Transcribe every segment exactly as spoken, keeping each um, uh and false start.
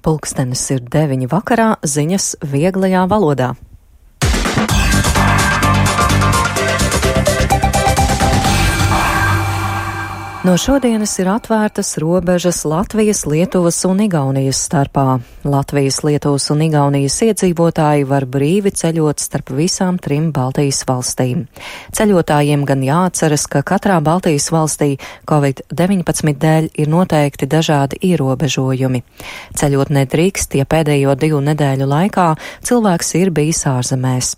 Pulkstenis ir deviņi vakarā, ziņas vieglajā valodā. No šodienas ir atvērtas robežas Latvijas, Lietuvas un Igaunijas starpā. Latvijas, Lietuvas un Igaunijas iedzīvotāji var brīvi ceļot starp visām trim Baltijas valstīm. Ceļotājiem gan jāatceras, ka katrā Baltijas valstī covid deviņpadsmit dēļ ir noteikti dažādi ierobežojumi. Ceļot nedrīkst, ja pēdējo divu nedēļu laikā cilvēks ir bijis ārzemēs.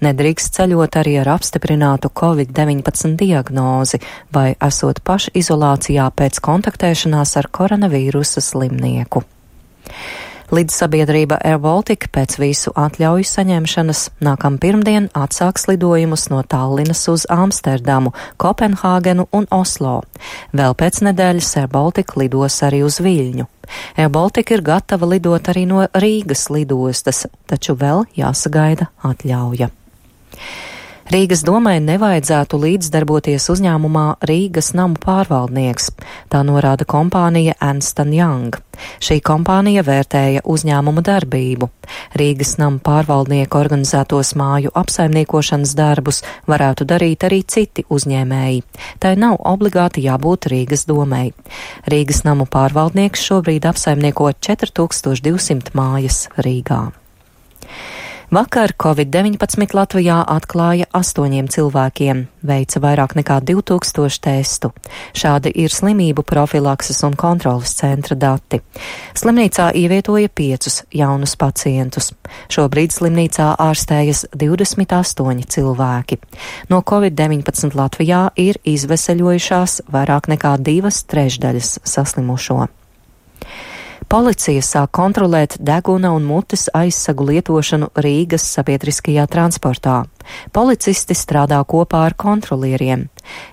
Nedrīkst ceļot arī ar apstiprinātu covid deviņpadsmit diagnozi vai esot pašizolācijā pēc kontaktēšanās ar koronavīrusa slimnieku. Lidsabiedrība Air Baltica pēc visu atļauju saņemšanas nākam pirmdien atsāks lidojumus no Tallinas uz Amsterdamu, Kopenhāgenu un Oslo. Vēl pēc nedēļas Air Baltica lidos arī uz Viļņu. Air Baltica ir gatava lidot arī no Rīgas lidostas, taču vēl jāsagaida atļauja. Rīgas domai nevajadzētu līdzdarboties uzņēmumā Rīgas namu pārvaldnieks. Tā norāda kompānija Ernst and Young. Šī kompānija vērtēja uzņēmumu darbību. Rīgas namu pārvaldnieku organizētos māju apsaimniekošanas darbus varētu darīt arī citi uzņēmēji. Tai nav obligāti jābūt Rīgas domai. Rīgas namu pārvaldnieks šobrīd apsaimnieko četri tūkstoši divsimt mājas Rīgā. Vakar covid deviņpadsmit Latvijā atklāja astoņiem cilvēkiem, veica vairāk nekā divi tūkstoši testu. Šādi ir slimību profilakses un kontrolas centra dati. Slimnīcā ievietoja piecus jaunus pacientus. Šobrīd slimnīcā ārstējas divdesmit astoņi cilvēki. No covid deviņpadsmit Latvijā ir izveseļojušās vairāk nekā divas trešdaļas saslimušo. Policija sāk kontrolēt deguna un mutes aizsagu lietošanu Rīgas sabiedriskajā transportā. Policisti strādā kopā ar kontrolieriem.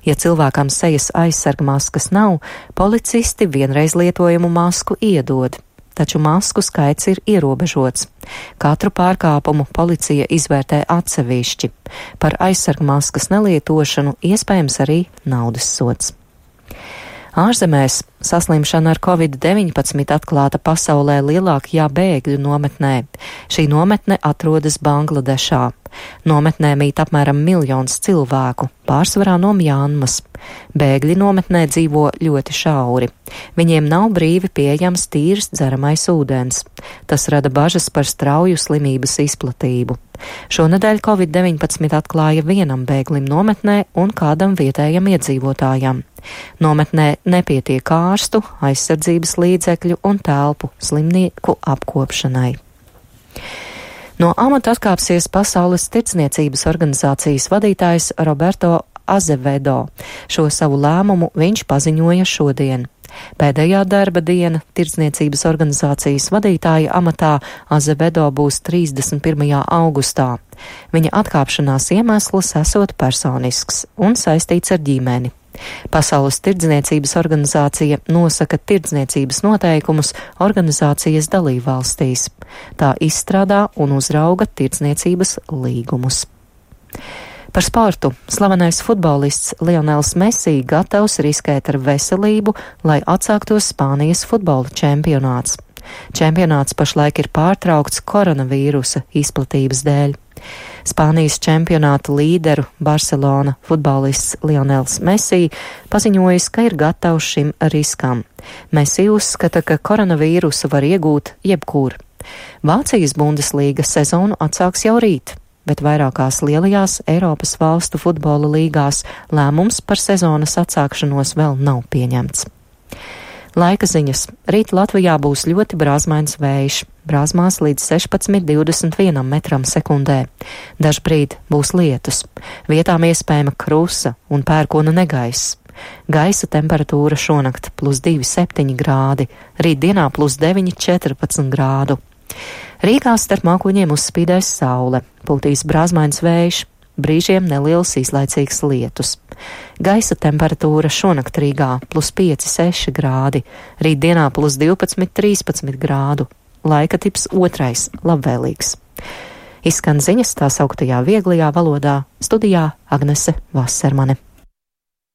Ja cilvēkam sejas aizsargmaskas nav, policisti vienreiz lietojumu masku iedod. Taču masku skaits ir ierobežots. Katru pārkāpumu policija izvērtē atsevišķi. Par aizsargmaskas nelietošanu iespējams arī naudas sods. Ārzemēs saslimšana ar covid deviņpadsmit atklāta pasaulē lielākajā bēgļu nometnē. Šī nometne atrodas Bangladešā. Nometnē mīt apmēram miljons cilvēku, pārsvarā no Mjanmas. Bēgļi nometnē dzīvo ļoti šauri. Viņiem nav brīvi pieejams tīrs dzeramais ūdens. Tas rada bažas par strauju slimības izplatību. Šonedēļ covid deviņpadsmit atklāja vienam bēglim nometnē un kādam vietējam iedzīvotājam. Nometnē nepietiek ārstu, aizsardzības līdzekļu un telpu slimnieku apkopšanai. No amata atkāpsies Pasaules tirdzniecības organizācijas vadītājs Roberto Azevedo. Šo savu lēmumu viņš paziņoja šodien. Pēdējā darba diena tirdzniecības organizācijas vadītāja amatā Azevedo būs trīsdesmit pirmajā augustā. Viņa atkāpšanās iemesls esot personisks un saistīts ar ģimeni. Pasaules tirdzniecības organizācija nosaka tirdzniecības noteikumus organizācijas dalībvalstīs. Tā izstrādā un uzrauga tirdzniecības līgumus. Par sportu. Slavenais futbolists Lionels Messi gatavs riskēt ar veselību, lai atsāktos Spānijas futbola čempionāts. Čempionāts pašlaik ir pārtraukts koronavīrusa izplatības dēļ. Spānijas čempionāta līderu Barcelona futbolists Lionels Messi paziņojis, ka ir gatavs šim riskam. Messi uzskata, ka koronavīrusu var iegūt jebkur. Vācijas Bundeslīga sezonu atsāks jau rīt, bet vairākās lielajās Eiropas valstu futbola līgās lēmums par sezonas atsākšanos vēl nav pieņemts. Laika ziņas. Rīt Latvijā būs ļoti brāzmains vējš, brāzmās līdz sešpadsmit līdz divdesmit vienam metram sekundē. Dažbrīd būs lietus. Vietām iespējama krusa un pērkona negaiss. Gaisa temperatūra šonakt plus divi septiņi grādi, rīt dienā plus deviņi četrpadsmit grādu. Rīgā starp mākoņiem uzspīdēs saule, pūtīs brāzmains vējš, brīžiem neliels īslaicīgs lietus. Gaisa temperatūra šonakt Rīgā plus pieci seši grādi, rīt dienā plus divpadsmit trīspadsmit grādu. Laika tips otrais labvēlīgs. Izskan ziņas tā sauktajā vieglajā valodā, studijā Agnese Vasermane.